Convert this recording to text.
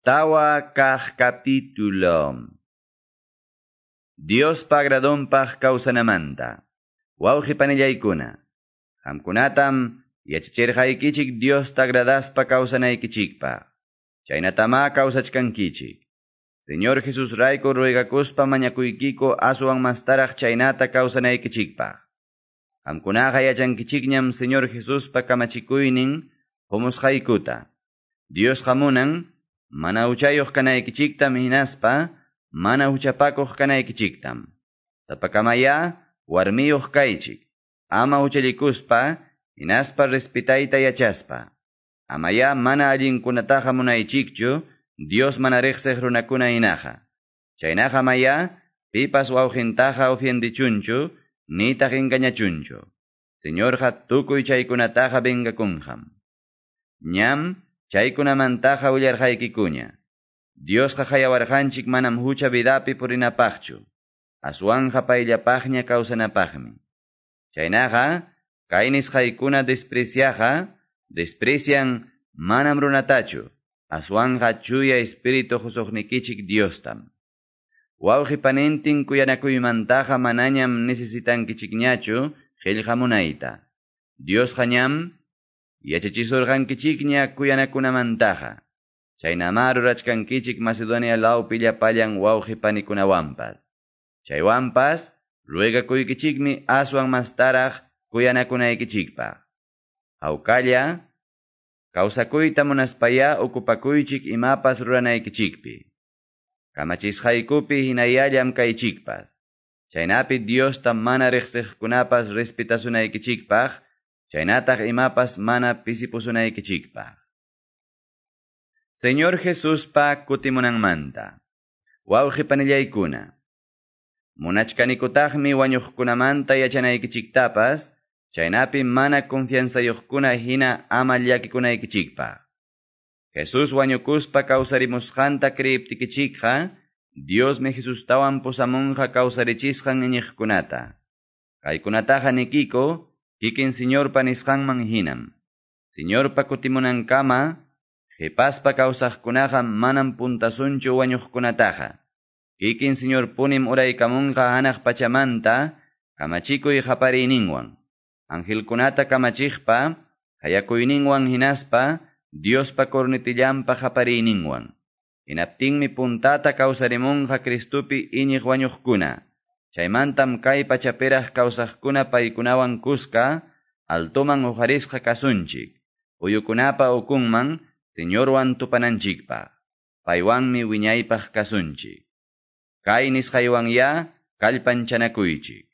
Tawa kaq capítulo. Diospa agradonpaq kawsanamanta. Wawqi panillaykuna. Qamkunatam yachachirqaykichik Diosta agradaspa kawsanaykichikpaq. Chaynatama kawsachkankichik. Señor Jesus rayku ruegakuspa mañakuykiko aswan mastaraq chaynata kawsanaykichikpaq. Qamkunaqa yachankichikñam Señor Jesuspa kamachikuynin humusqaykuta. Diosqa munan mana huchayuq kanaykichiktam hinaspa mana huchapakuq kanaykichiktam. Sapakamaya warmiyuq kaychik. Ama huchallikuspa hinaspa respetayta yachaspa. Amaya mana allinkunataqa munaychikchu Dios mana riqsiq runakuna hinaqa. Chaynaqa maya pipas wawqintaqa ofiendichunchu nitaq engañachunchu. Señorqa tukuy chaykunataqa vengakunqam. Ñam chaykunamantaqa willarqaykikuña. Diosqa hayawarqanchik manam hucha vidapi purinapaqchu. Aswanja payllapaqña kawsanapaqmi. Chaynaqa, kay nisqaykuna despreciaqa, desprecian manam runatachu, aswanja chuya espíritu husuqnikichik Diostam. Wawqi panintin kuyanakuymantaqa manañam necesitankichikñachu qillqamunayta. Diosqa ñam yachachisurqankichikña kuyanakunamantaqa. Chaynama rurachkankichik Macedonia lawpi llapallan wawqi panikunawanpas. Chaywanpas ruegakuykichikmi aswan mastaraq kuyanakunaykichikpaq. Hawkalla kawsakuyta munaspaya okupakuychik imapas ruranaykichikpi. Kamachisqaykupi hinayallam kaychikpas. Chaynapi Diosta mana riqsiqkunapas respetasunaykichikpaq, chaynataq imapas mana pisipusunaykichikpaq. Señor Jesuspa kutimunanmanta. Wawqi panillaykuna. Munachkanikutaqmi wañuqkunamanta yachanaykichiktapas, chaynapi mana confianzayuqkuna hina ama llakikunaykichikpaq. Jesús wañukuspa kawsarimusqanta creiptikichikqa, Diosmi Jesustawan pusamunqa kawsarichisqan iñiqkunata. Kaykunataqa nikiko, kikin Señorpa nisqanman hinam. Señorpa kutimunankama, qhipaspa kawsaqkunaqa manam puntasunchu wañuqkunataqa. Kikin Señor punim uraykamunqa hanaq pachamanta, kamachikuy qapariyninwan. Angelkunata kamachiqpa, hayakuyninwan hinaspa, Diospa cornetillanpa qapariyninwan. Hinaptinmi puntata kawsarimunqa Cristupi iñiq wañuqkuna. Chaymantam kay pachapiraq kawsaqkuna paykunawan kuska, altoman uqarisqa kasunchik. Uyukunapa ukunman, Señorwan tupananchikpaq. Paywanmi wiñaypaq kasunchik. Kay nisqaywanya kallpanchanakuychik.